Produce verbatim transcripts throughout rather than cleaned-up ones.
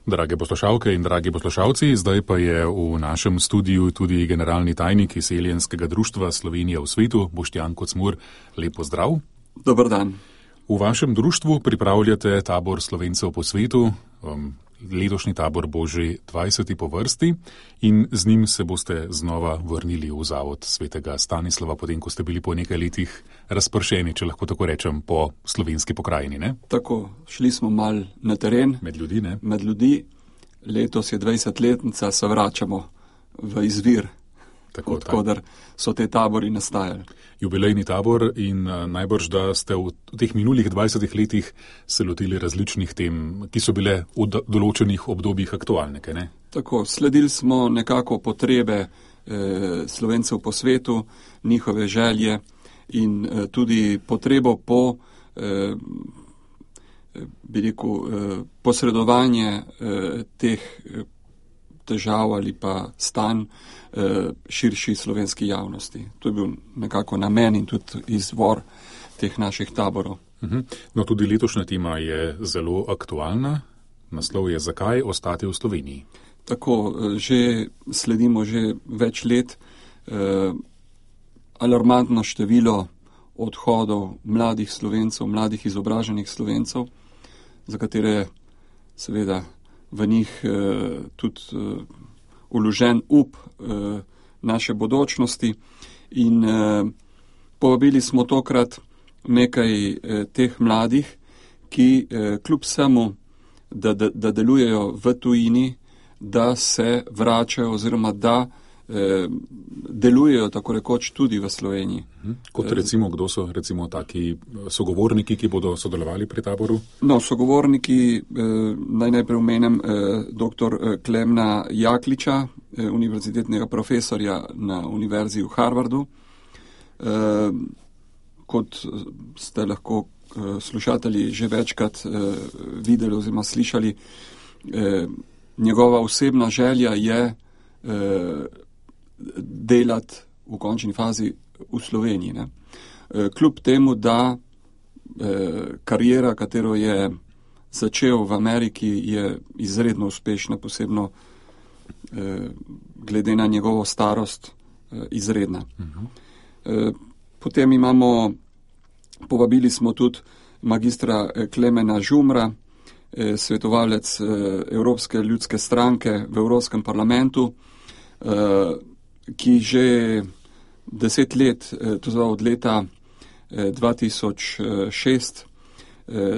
Drage poslušalke in dragi poslušalci, zdaj pa je v našem studiu tudi generalni tajnik Izseljenskega društva Slovenija v svetu, Boštjan Kocmur. Lep pozdrav. Dober dan. V vašem društvu pripravljate tabor Slovencev po svetu. Um, letošnji tabor bo že dvajseti po vrsti in z njim se boste znova vrnili v zavod svetega Stanislava, potem ko ste bili po nekaj letih razpršeni, če lahko tako rečem, po slovenski pokrajini, ne? Tako, šli smo mal na teren. Med ljudi, ne? Med ljudi. Letos je dvajsetletnica, se vračamo v izvir, tako, odkudar so te tabori nastajali. Jubilejni tabor in uh, najbrž, da ste v, v teh minulih dvajsetih letih se lotili različnih tem, ki so bile v do, določenih obdobjih aktualne, kaj ne? Tako, sledili smo nekako potrebe eh, Slovencev po svetu, njihove želje in eh, tudi potrebo po eh, bi rekel, eh, posredovanje eh, teh eh, težav ali pa stanj eh, širši slovenski javnosti. To je bil nekako namen in tudi izvor teh naših taborov. Uh-huh. No, tudi letošnja tema je zelo aktualna. Naslov je Zakaj ostati v Sloveniji? Tako, že sledimo že več let eh, alarmantno število odhodov mladih Slovencev, mladih izobraženih Slovencev, za katere seveda v njih eh, tudi eh, vložen up eh, naše bodočnosti in eh, povabili smo tokrat nekaj eh, teh mladih, ki eh, kljub vsemu, da, da, da delujejo v tujini, da se vračajo oziroma da eh, delujejo tako rekoč tudi v Sloveniji. Kot recimo, kdo so recimo taki sogovorniki, ki bodo sodelovali pri taboru? No, sogovorniki, eh, naj najprej omenem eh, doktor Klemna Jakliča, eh, univerzitetnega profesorja na Univerzi v Harvardu. Eh, kot ste lahko eh, slušatelji že večkrat eh, videli oziroma slišali, eh, njegova osebna želja je eh, delati v končni fazi v Sloveniji. Ne? E, kljub temu, da e, karijera, katero je začel v Ameriki, je izredno uspešna, posebno e, glede na njegovo starost, e, izredna. Uh-huh. E, potem imamo, povabili smo tudi magistra Klemena Žumra, e, svetovalec e, Evropske ljudske stranke v Evropskem parlamentu, e, ki že deset let, to zva od leta dva tisoč šest,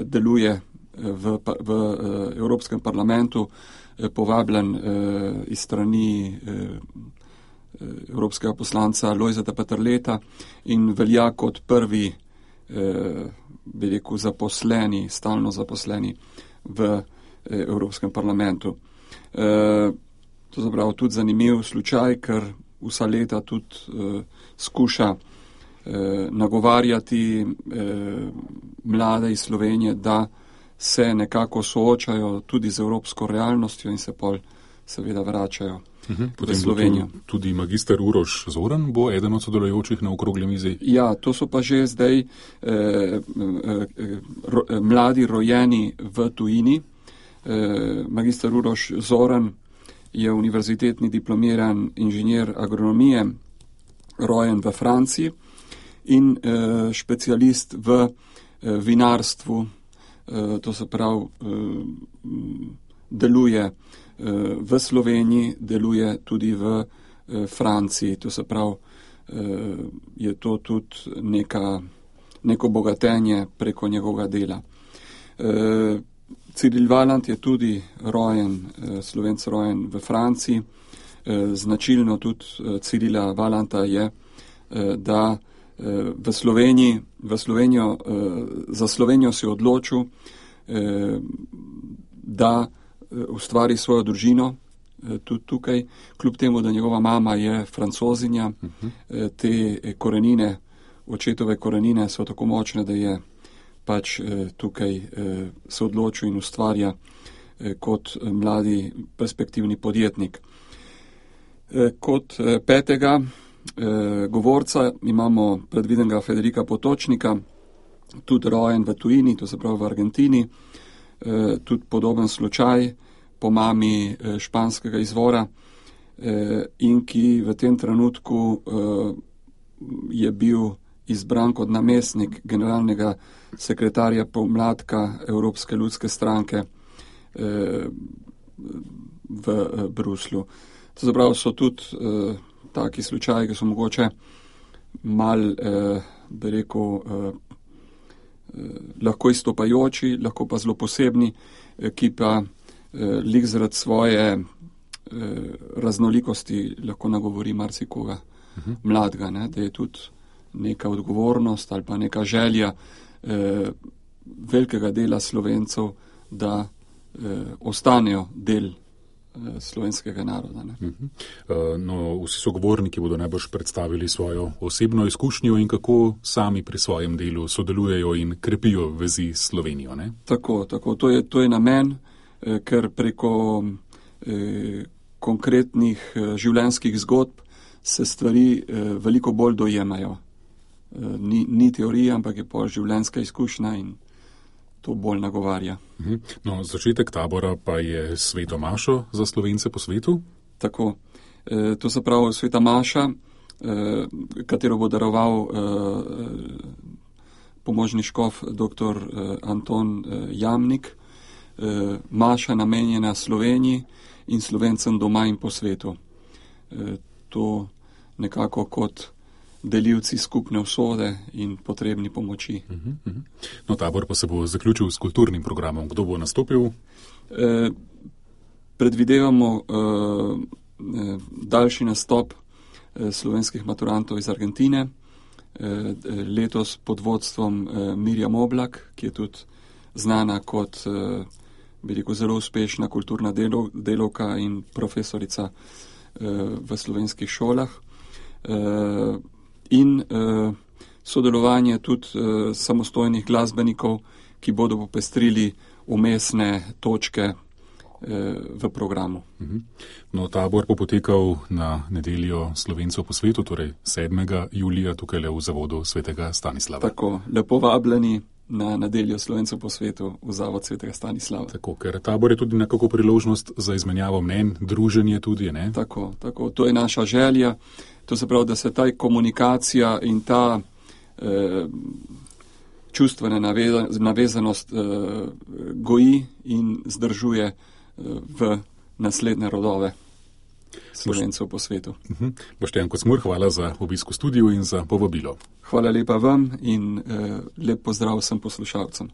deluje v, v Evropskem parlamentu, povabljen iz strani evropskega poslanca Lojzeta Peterleta in velja kot prvi, bi rekel, zaposleni, stalno zaposleni v Evropskem parlamentu. To zapravo tudi zanimiv slučaj, ker vsa leta tudi uh, skuša uh, nagovarjati uh, mlade iz Slovenije, da se nekako soočajo tudi z evropsko realnostjo in se pol seveda vračajo uh-huh. v Slovenijo. Potem tudi magister Uroš Zoran bo eden od sodelujočih na okrogli mizi? Ja, to so pa že zdaj eh, eh, ro, eh, mladi rojeni v tujini. Eh, magister Uroš Zoran je univerzitetni diplomiran inženir agronomije, rojen v Franciji in e, specialist v e, vinarstvu, e, to se pravi, e, deluje e, v Sloveniji, deluje tudi v e, Franciji, to se pravi, e, je to tudi neka, neko bogatenje preko njegovega dela. E, Ciril Valant je tudi rojen, Slovenc rojen v Franciji. Značilno tudi Cirila Valanta je, da v Sloveniji, v Slovenijo, za Slovenijo se je odločil, da ustvari svojo družino tudi tukaj, kljub temu, da njegova mama je Francozinja. Te korenine, očetove korenine so tako močne, da je pač eh, tukaj eh, se odločil in ustvarja eh, kot mladi perspektivni podjetnik. Eh, kot eh, petega eh, govorca imamo predvidenega Federika Potočnika, tudi rojen v tujini, to se pravi v Argentini, eh, tudi podoben slučaj, po mami eh, španskega izvora eh, in ki v tem trenutku eh, je bil izbran kot namestnik generalnega sekretarja pomladka Evropske ljudske stranke eh, v eh, Bruslju. To zapravo so tudi eh, taki slučaji, ki so mogoče mal, eh, bi rekel, eh, eh, lahko izstopajoči, lahko pa zelo posebni, eh, ki pa eh, lik zaradi svoje eh, raznolikosti lahko nagovori marsikoga uh-huh. mladega, ne, da je tudi neka odgovornost ali pa neka želja eh, velikega dela Slovencev, da eh, ostanejo del slovenskega naroda. Ne. Uh-huh. No, vsi sogovorniki bodo najbrž predstavili svojo osebno izkušnjo in kako sami pri svojem delu sodelujejo in krepijo vezi s Slovenijo. Ne? Tako, tako. To je, to je namen, eh, ker preko eh, konkretnih eh, življenjskih zgodb se stvari eh, veliko bolj dojemajo. Eh, ni, ni teorija, ampak je pa življenjska izkušnja in to bolj nagovarja. No, začetek tabora pa je sveta mašo za Slovence po svetu? Tako. E, to se pravi sveta maša, e, katero bo daroval e, pomožni škof dr. Anton Jamnik. E, maša namenjena Sloveniji in Slovencem doma in po svetu. E, to nekako kot delivci skupne usode in potrebni pomoči. Uh-huh, uh-huh. No, tabor pa se bo zaključil s kulturnim programom. Kdo bo nastopil? E, predvidevamo e, daljši nastop e, slovenskih maturantov iz Argentine, e, letos pod vodstvom e, Mirjam Oblak, ki je tudi znana kot e, bi rekel, zelo uspešna kulturna delo, delovka in profesorica e, v slovenskih šolah. E, in uh, sodelovanje tudi uh, samostojnih glasbenikov, ki bodo popestrili umestne točke uh, v programu. Uh-huh. No, tabor bo potekal na nedeljo Slovencev po svetu, torej sedmega julija tukaj le v zavodu svetega Stanislava. Tako, lepo vabljeni na nedeljo Slovencev po svetu v zavod svetega Stanislava. Tako, ker tabor je tudi nekako priložnost za izmenjavo mnenj, druženje tudi, ne? Tako, tako, to je naša želja. To se pravi, da se ta komunikacija in ta eh, čustvena naveza, navezanost eh, goji in zdržuje eh, v naslednje rodove Slovencev po svetu. Uh-huh. Boštjan Kocmur, hvala za obisk v studiu in za povabilo. Hvala lepa vam in eh, lep pozdrav vsem poslušalcem.